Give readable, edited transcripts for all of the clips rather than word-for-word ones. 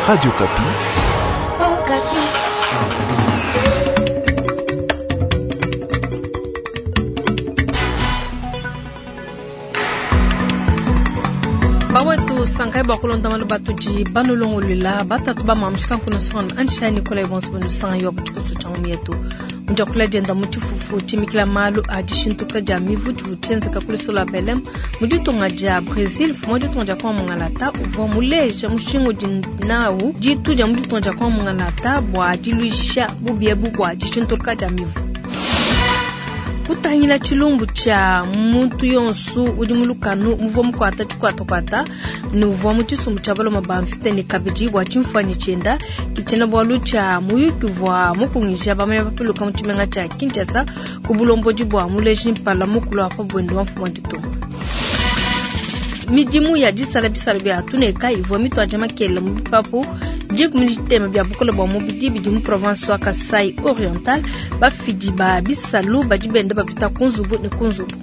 Radio Okapi. Bawetu sankai bua kulonda malu batudi banulongoluela batatu ba mamushika nkuna sona anshai nikolai bonso banusanga yo butshikoso tshia ngumi yetu mudiakula dienda mu tshifufu tshimikila malu a dishintuka dia mivu tshivua tshienzeka ku lusola Belem mu ditunga dia Brésil. Mfumu wa ditunga dia Kongo Mungalata uvua muleja mushinga udi nawu ditu dia mu ditunga dia Kongo Mungalata bua diluisha bubi ebu bua dishintuluka dia mivu. Kutangila tshilumbu tshia muntu yonsu udi mu lukanu muvua mukuata tshikuatakuata ne uvua mu tshisumbu tshia baloma ba mvita ne kabidi bua tshimfuanyi tshienda ke tshiena-bualu tshia muyuki uvua mukungija bamanya bapiluka mu tshimenga tshia Kinshasa ku bulombodi bua muleji mpala mukulu wa pa buende wa mfumu wa ditunga. Midimu ya disala bisalu bia tuneka ivua mituadija makelela mu bipapu 13 bia bukole bua mubidi bidi mu province wa Kasai Oriental. Bafidi ba bisalu badi benda bapita ku nzubu ne ku nzubu.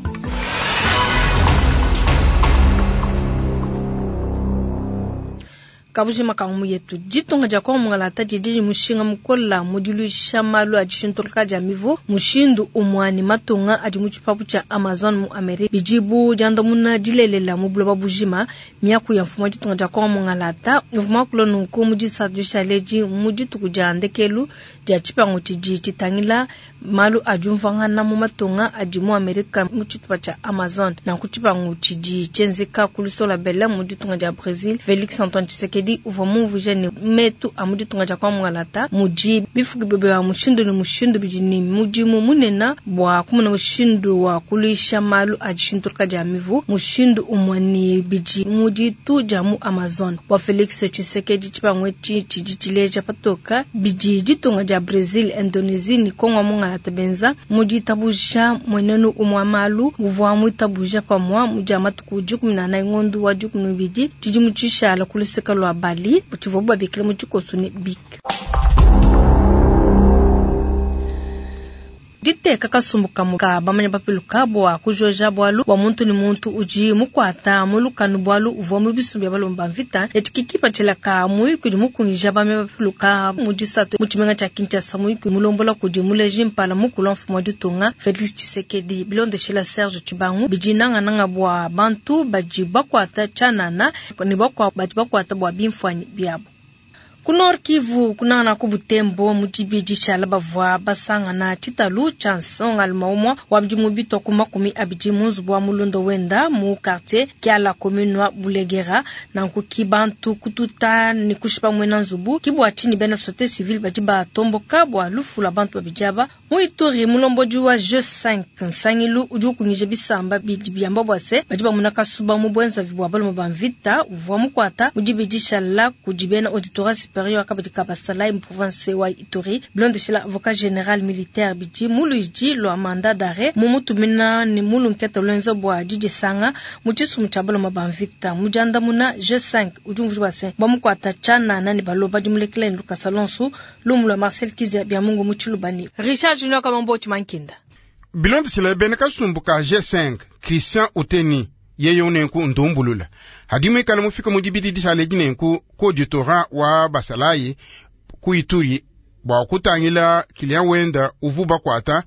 Kabujima ka ngumu yetu. Ditunga dia Kongo Mungalata didi ne mushinga mukola mu diluisha malu a dishintuluka dia mivu mushindu umua ne matunga adi mu tshipapu tshia Amazon mu Amerika bidi bu diandamuna dilelela mu buloba bujima. Miaku ya mfumu wa ditunga dia Kongo Mungalata uvua muakula nunku mu disatu dishale edi mu dituku dia ndekelu dia tshipangu tshidi tshitangila malu a diumvuangana mu matunga adi mu Amerika mu tshitupa tshia Amazon. Nanku tshipangu tshidi tshienzeka ku lusola Belem mu ditunga dia Brésil. Felix Antoine Tshisekedi uvua mumvuije ne metu a mu ditunga dia Kongo Mungalata mudi bifukibue bia mushindu ne mushindu bidi ne mudimu munene bua kumona mushindu wa kuluisha malu a dishintuluka dia mivu mushindu umue ne bidi mu ditu dia mu Amazon. Bua Felix Tshisekedi, tshipangu etshi tshidi tshileja patoka bidi ditunga dia Brésil, Indonesie ne Kongo Mungalata benza mu ditabuja mmuenenu umue wa malu uvua muitabuja pamue mu dia matuku 14 ngondo wa 12 tshidimu tshishala ku luseke lua Bali tshivuabu babikila mu tshikoso ne BIC. Diteka kasumbu kamue ka bamanya bapiluka bua kujoja bualu bua muntu ne muntu udi mukuata mu lukanu bualu uvua mu bisumbu bia balomba ba mvita. Etshi ke kipatshila ka muyuki udi mukungija bamanya bapiluka mu disatu mu tshimenga tshia Kinshasa. Muyuki mulombola kudi muleji mpala mukulu wa mfumu wa ditunga Felix Tshisekedi. Bilondeshila Serge Tshibangu, bidi nangananga bua bantu badi bakuata tshianana ne bakuabu badi bakuata bua bimfuanyi biabu. Ku Nord Kivu, kunangana ku Butembo mu dibidi tshiala bavua basangana tshitalu tshia nsongalume umue wa bidimu bitua ku 20 mu nzubu wa mulunda wenda mu quartier Kiala, commune wa Bulegera. Nanku ki bantu kututa ne kushipa muena nzubu. Ki bua tshinyi bena société civile badi batomboka bua lufu lua bantu babidi aba. Mu Ituri, mulombodi wa G5 nsangilu udi ukungija bisamba bidi biamba bua se badi bamuna kasuba mu buenzavi bua balume ba mvita uvua mukuata mu dibidi tshiala kudi bena auditorat superieur kabadi ka basalayi mu province wa Ituri. Bilondeshela avocat général militaire bidi mu luidi lua mandat d'arrêt mu mutumina ne mu lunketa luenza bua didisanga mu tshisumbu tshia balume ba mvita. Mu diandamuna G5 udi umvuija bua se bamukuata tshianana ne baloba dimulekela ne lukasa lonso. Lumu lua Marcel Kizia bia Mungu mu Tshilubani. Richard Junior Kamambo Tshimankinda. Bilondeshela bena kasumbu ka G5 Christian Uteni yeye unenku ndumbulula hadi mwikala mufika mu dibidi dishale dinenku ku auditorat wa basalayi ku Ituri bua kutangila client wenda uvu bakuata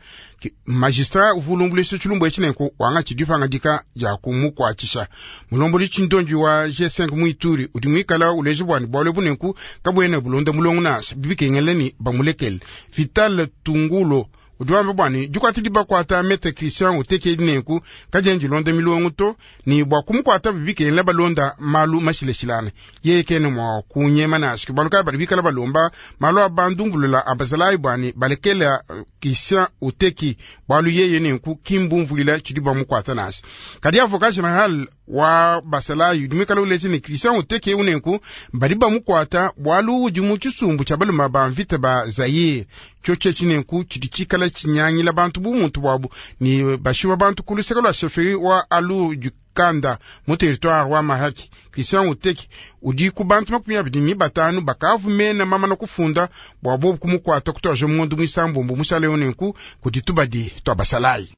magistrat uvu ulumbuluisha tshilumbu etshi nenku wanga tshidipangadika dia kumukuatshisha. Mulombodi tshindonji wa G5 mu Ituri udi muikala uleja bwani bualu ebu nenku kabuena bulonda mulongo nansha bibikengela ni bamulekele. Vital Tungulo udi wamba bwani dikuata dibakuata Maître Christian utekeli nenku kadiena dilonda milongo to ni bua kumukuata bibikengela balonda malu mashilashilane. Yeye kene mua kunyema nansha bualu kayi badi bikala balomba malu a bandumbulula a basalayi bwani balekela Christian Uteki bualu yeye nenku kimbumvuila tshidi bamukuata nansha. Kadi avocat general wa basalayi udi muikala uleja ne Christian Uteki eu nenku badi bamukuata bualu udi mu tshisumbu tshia balume ba mvita ba Zaire. Tshio tshi nenku tshidi tshikala tshinyangila bantu bu muntu buabu ni bashiwa bantu ku luseke lua chefferie wa Alu du Kanda mu territoire wa Mahaki. Christian Uteki udi ku bantu 25 bakavu mena mama na kufunda bua bobu kumukuata kutoja mundu mwisambombo musale nenku kudi tubadi twa basalayi.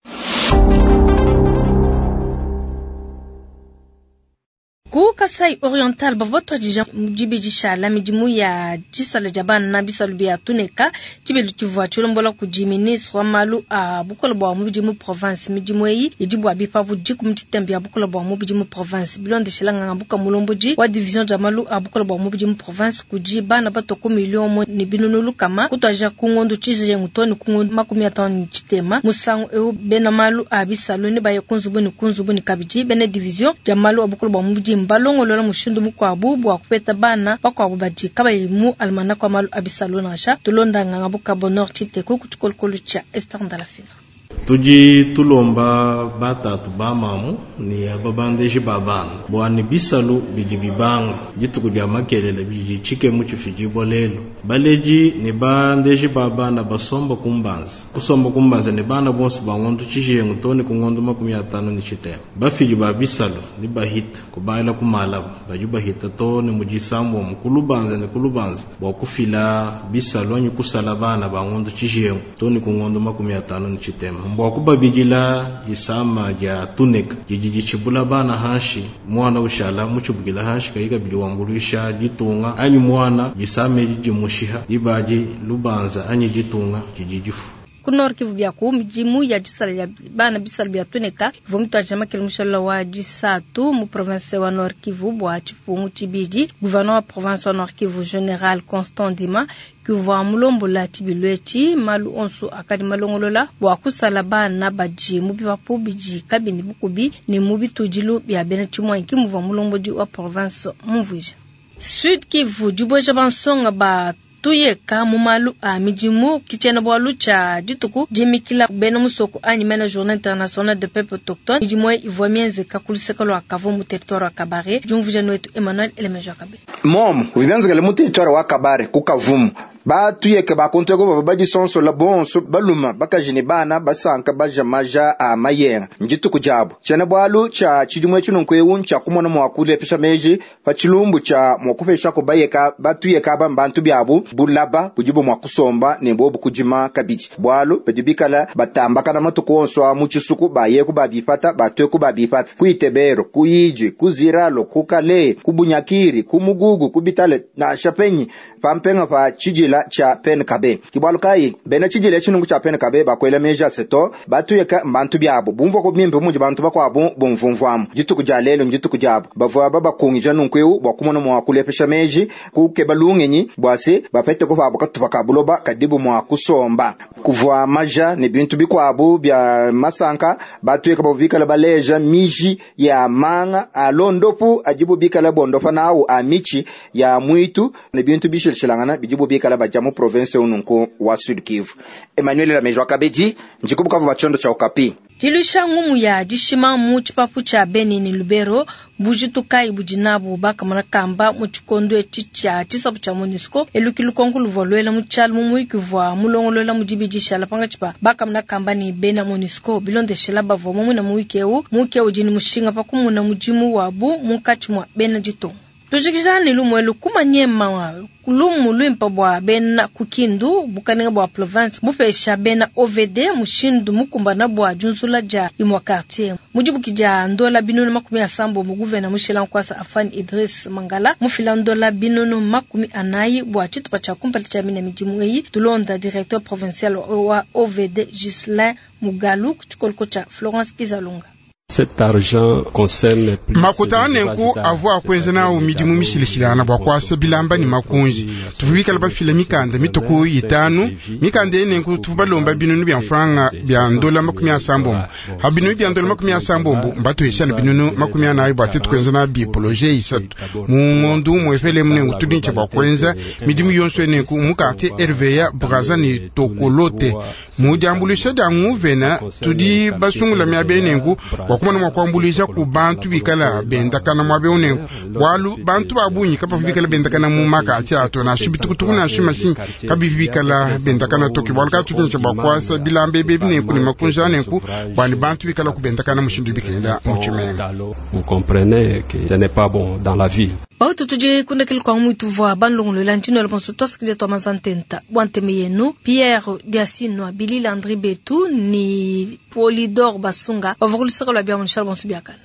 Ku Kasai Oriental bavua batuadija mu dibidi dishala midimu ya disala dia bana bisalu bia tuneka tshibilu tshivua tshilombola kudi ministre wa malu a bukole bua mubidi mu province. Midimu eyi idi bua bipapu dikumi ditembe bia bukole bua mubidi mu province bilondeshela nganga buka mulombodi wa division dia malu a bukole bua mubidi mu province kudi bana batua ku miliyo umue ne binunu lukama kutuadija ku ngondo tshijengu too ne ku ngondo 53. Musangu eu bena malu a bisalu nebaye ku nzubu ne ku nzubu ne kabidi bena division dia malu a bukole bua mubidi mbalongolola mushindu mukuabu bua kupeta bana bakuabu badi kabayi mu almanach wa malu a bisalu nansha. Tulonda nganga buka Bonheur Tshiteku ku tshikolokolo tshia Esther Ndalafina. Tudi tulomba batatu ba mamu ne ababandeji ba bana bua ne bisalu bidi bibanga dituku dia makelela bidi tshikemu tshifidibua lelu. Baledi ne bandeji ba bana basomba ku mbanza kusomba ku mbanza ne bana bonso ba ngondo tshijengu too ne ku ngondo 53. Bafidi ba bisalu ne bahita kubangila ku malaba badi bahita too ne mu disambombo ku lubanza ne ku lubanza bua kufila bisalu anyi kusala bana ba ngondo tshijengu too ne ku ngondo 53 mbua kubabidila disama dia tuneka didi ditshibula bana hanshi muana ushala mutshibukila hanshi kayi kabidi wambuluisha ditunga anyi muana disama edi dimushiha dibadi lubanza anyi ditunga didi difu. Ku Nord Kivu bia ku midimu ya disala dia bana bisalu bia tuneka ivua mituadija makele mushala wa disatu mu province wa Nord Kivu bua tshipungu tshibidi. Gouverneur wa province wa Nord Kivu General Constant Ndima kivua mulombola tshibilu etshi. Malu onso akadi malongolola bua kusala bana badi mu bipapu bidi kabiyi bukubi ne mu bitudilu bia bena tshimuangi ke muvua mulombodi wa province mumvuija. Sud Kivu dibueja bansonga ba tuyeka mu malu a midimu ke tshiena-bualu tshia dituku dimikila bena musoko anyi mena Journée internationale de peuple autochtone. Midimu eyi ivua mienzeka ku luseke lua Kavumu mu territoire wa Kabare. Diumvuija nuetu Emmanuel Elemeja Kabe. Momu udi bienzekele mu territoire wa Kabare ku Kavumu. Batuyeke ba kuntu eku bavua badisonsola bonso, balume, bakaji ne bana, basanka baja maja a mayenga. Ndituku diabu. Tshiena-bualu tshia tshidimu etshi nunku'eu ntshia kumona mua kulepesha meji pa tshilumbu tshia mua kupeshaku bayeka batuyeke aba mbantu biabu bulaba budibu mua kusomba ne buobu kudima kabidi, bualu badi bikala batambakana matuku onso a mu tshisuku, bayeku babipata, batueku babipata, ku Itebero, ku Idjwi, ku Ziralo, ku Kalehe, ku Bunyakiri, ku Mugugu, ku Bitale, nansha penyi pa mpenga pa tshidila tshia Penkabe. Ke bualu kayi bena tshidila etshi nunku tshia Penkabe bakuela meji a se, to, batuyeka mbantu biabu, bumvuaku bimpe mudi bantu bakuabu bumvumvuamu. Dituku dia lelu ndituku diabu. Bavua babakungija nunku'eu bua kumona mua kulepesha meji, kukeba lungenyi bua se, bapeteku pabu katupa ka buloba kadibu mua kusomba. Kuvua maja ne bintu bikuabu bia masanka. Batuyeka bavua bikale baleja miji ya manga a londopu adibu bikale bondopa nawu a mitshi ya muitu ne bintu bishilashilangana bidibu bikale badia mu province eu nunku wa Sud Kivu. Emmanuel Lamejo Kabedi, ndi ku Bukavu bua tshiondo tshia Okapi. Diluisha ngumu ya dishima mu tshipapu tshia Beni ne Lubero, bujitu kayi budi nabu bakamona kamba mu tshikondo etshi tshia tshisabu tshia MONUSCO? Elu ke lukonko luvua luela mu tshialu mu muyuki uvua mulongolola mu dibidi dishala pankatshi pa bakamona kamba ne bena MONUSCO. Bilondeshela bavua mamuna muyuki eu, muyuki eu udi ne mushinga pa kumuna mudimu wabu munkatshi mua bena ditunga. Tujikija ne lumu elu ku Maniema, lumu luimpa bua bena ku Kindu, bukalenga bua province bupesha bena OVD mushindu mukumbana bua diunzula dia imua quartier. Mu dibuki dia ndola 870, gouverneur mushila nkuasa Afani Idriss Mangala mufila ndola 400 bua tshitupa tshia kumpala tshia mina midimu eyi. Tulonda directeur provincial wa OVD Ghislain Mugalu ku tshikoloko tshia Florence Kizalunga. Cet argent concerne plus Makuta a nenku avua a kuenza nawu midimu mishilashilangana bua kuasa bilamba ne makunji. Tuvua bikale bafila mikanda mitue ku itanu. Mikanda eyi nenku tuvua balomba binunu bia mfranga bia ndola 80. Ha binunu bia ndola 80 mbatuhesha ne binunu 40 bua tuetu kuenza nabi poloje isatu mu ngondu umuepele emu. Nenku tudi ne bua kuenza midimu yonso eyi nenku mu quartier RVA, Brazza ne Tokolote. Mu diambuluisha dia nguvena tudi basungula miaba eyi nenku bua kumona mua kuambuluisha ku bantu bikala bendakana muaba eu nenku, bualu bantu ba bungi kabavu bikala bendakana mu makati ato, nansha bitukutuku nansha mashinyi kabivi bikala bendakana to. Ke bualu kayi tudi ne bua kuasa bilamba ebi nenku ne makunji a nenku bua ne bantu bikala kubendakana mushindu bikenda mu tshimenga. Vous comprenez que ce n'est pas bon dans la ville. Bautu tudi kundekele kua muituvua banlongolola ntino bonso twasikidia tua mazantenta bua nteme yenu Pierre Diasinwa Billy Landry Betu ni Polydor Basunga bavua ku luseke lua bia bonso biakana.